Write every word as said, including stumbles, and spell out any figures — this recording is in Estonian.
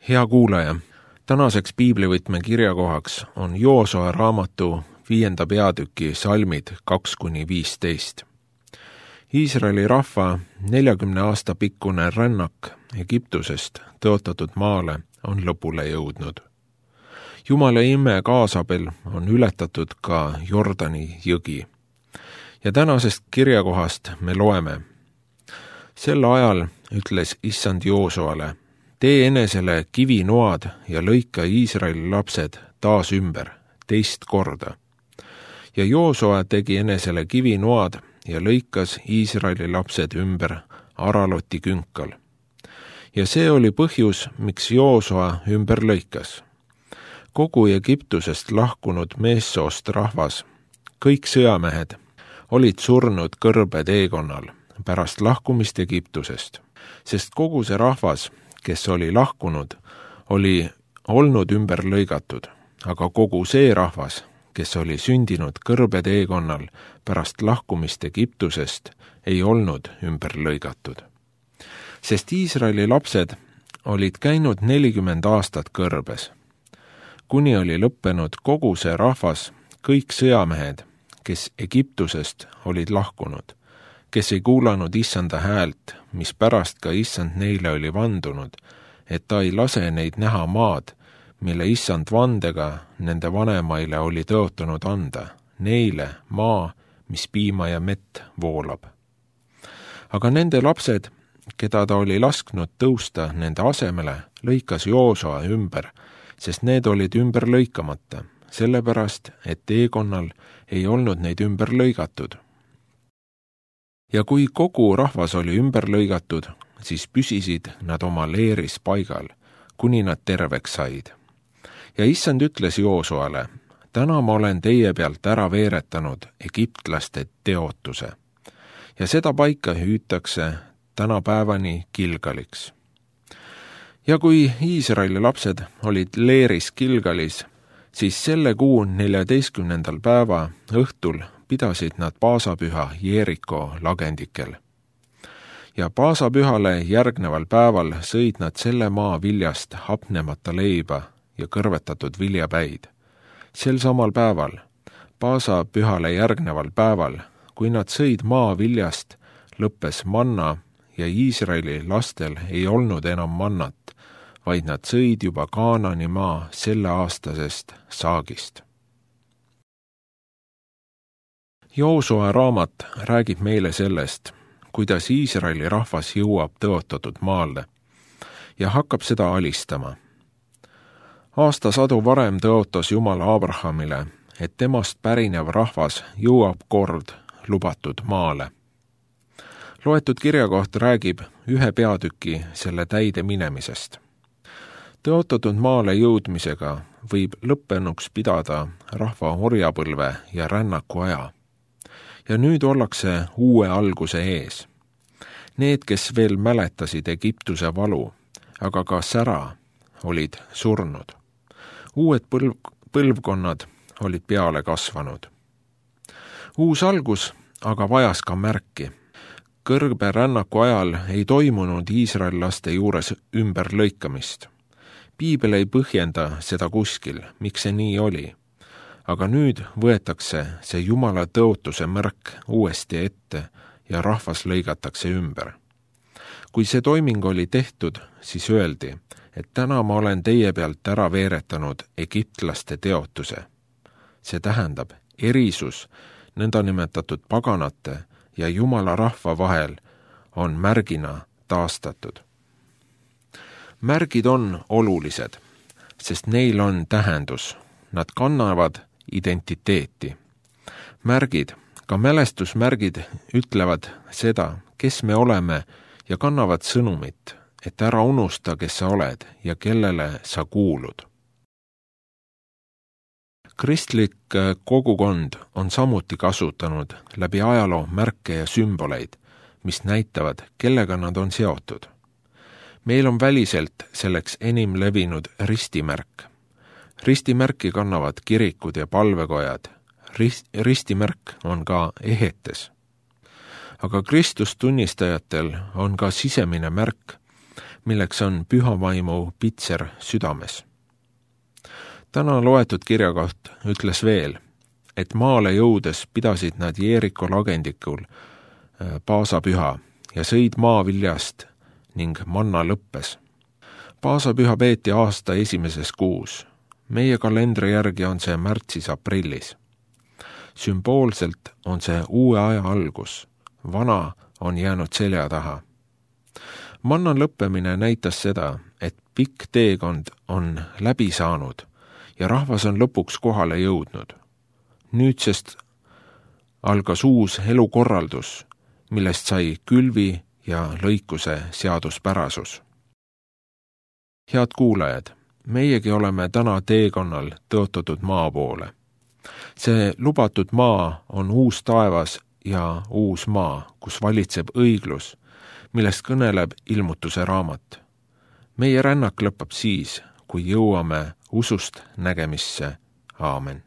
Hea kuulaja, tänaseks piiblivõtme kirjakohaks on Joosua raamatu viienda peatüki salmid kaks kuni viisteist. Iisraeli rahva neljakümne aasta pikkune rännak Egiptusest tõotatud maale on lõpule jõudnud. Jumala ime kaasabil on ületatud ka Jordani jõgi. Ja tänasest kirjakohast me loeme. Sel ajal ütles issand Joosuale, tee enesele kivinoad ja lõika Iisraeli lapsed taas ümber, teist korda. Ja Joosua tegi enesele kivinoad ja lõikas Iisraeli lapsed ümber Araloti künkal. Ja see oli põhjus, miks Joosua ümber lõikas. Kogu Egiptusest lahkunud meessoost rahvas, kõik sõjamehed, olid surnud kõrbe teekonnal pärast lahkumist Egiptusest, sest kogu see rahvas, kes oli lahkunud, oli olnud ümber lõigatud, aga kogu see rahvas, kes oli sündinud kõrbe teekonnal pärast lahkumist Egiptusest, ei olnud ümber lõigatud. Sest Iisraeli lapsed olid käinud nelikümmend aastat kõrbes, kuni oli lõppenud kogu see rahvas, kõik sõjamehed, kes Egiptusest olid lahkunud, kes ei kuulanud issanda häält, mis pärast ka issand neile oli vandunud, et ta ei lase neid näha maad, mille issand vandega nende vanemaile oli tõotanud anda, neile maa, mis piima ja mett voolab. Aga nende lapsed, keda ta oli lasknud tõusta nende asemele, lõikas Joosua ümber, sest need olid ümber lõikamata, sellepärast, et teekonnal ei olnud neid ümber lõigatud. Ja kui kogu rahvas oli ümber lõigatud, siis püsisid nad oma leeris paigal, kuni nad terveks said. Ja issand ütles Joosuale, täna ma olen teie pealt ära veeretanud egiptlaste teotuse. Ja seda paika hüütakse tänapäevani Gilgaliks. Ja kui Iisraeli lapsed olid leeris Gilgalis, siis selle kuu neljateistkümnendal päeva õhtul pidasid nad paasapüha Jeeriko lagendikel. Ja paasapühale järgneval päeval sõid nad selle maa viljast hapnemata leiba ja kõrvetatud viljapäid. Sel samal päeval, paasapühale järgneval päeval, kui nad sõid maa viljast, lõppes manna ja Iisraeli lastel ei olnud enam mannat, vaid nad sõid juba Kaanani maa selle aastasest saagist. Joosua raamat räägib meile sellest, kuidas Iisraeli rahvas jõuab tõotatud maale ja hakkab seda alistama. Aastasadu varem tõotas Jumal Abrahamile, et temast pärinev rahvas jõuab kord lubatud maale. Loetud kirjakoht räägib ühe peatüki selle täide minemisest. Tõotatud maale jõudmisega võib lõppenuks pidada rahva orjapõlve ja rännaku aja. Ja nüüd ollakse uue alguse ees. Need, kes veel mäletasid Egiptuse valu, aga ka sära, olid surnud. Uued põlv, põlvkonnad olid peale kasvanud. Uus algus aga vajas ka märki. Kõrbe rännaku ajal ei toimunud iisraellaste juures ümber lõikamist. Piibel ei põhjenda seda kuskil, miks see nii oli. Aga nüüd võetakse see Jumala tõotuse märk uuesti ette ja rahvas lõigatakse ümber. Kui see toiming oli tehtud, siis öeldi, et täna ma olen teie pealt ära veeretanud egiptlaste teotuse. See tähendab, erisus nõndanimetatud paganate ja Jumala rahva vahel on märgina taastatud. Märgid on olulised, sest neil on tähendus. Nad kannavad identiteeti. Märgid, ka mälestusmärgid ütlevad seda, kes me oleme ja kannavad sõnumit, et ära unusta, kes sa oled ja kellele sa kuulud. Kristlik kogukond on samuti kasutanud läbi ajaloo märke ja sümboleid, mis näitavad, kellega nad on seotud. Meil on väliselt selleks enim levinud ristimärk. Ristimärki kannavad kirikud ja palvekojad. Rist, ristimärk on ka ehetes. Aga Kristust tunnistajatel on ka sisemine märk, milleks on püha vaimu pitser südames. Täna loetud kirjakoht ütles veel, et maale jõudes pidasid nad Jeeriko lagendikul paasapüha ja sõid maaviljast ning manna lõppes. Paasapüha peeti aasta esimeses kuus. Meie kalendri järgi on see märtsis-aprillis. Sümboolselt on see uue aja algus. Vana on jäänud selja taha. Manna lõppemine näitas seda, et pikk teekond on läbi saanud ja rahvas on lõpuks kohale jõudnud. Nüüdsest algas uus elukorraldus, millest sai külvi ja lõikuse seaduspärasus. Head kuulajad, meiegi oleme täna teekonnal tõotatud maa poole. See lubatud maa on uus taevas ja uus maa, kus valitseb õiglus, millest kõneleb ilmutuse raamat. Meie rännak lõpeb siis, kui jõuame usust nägemisse. Aamen.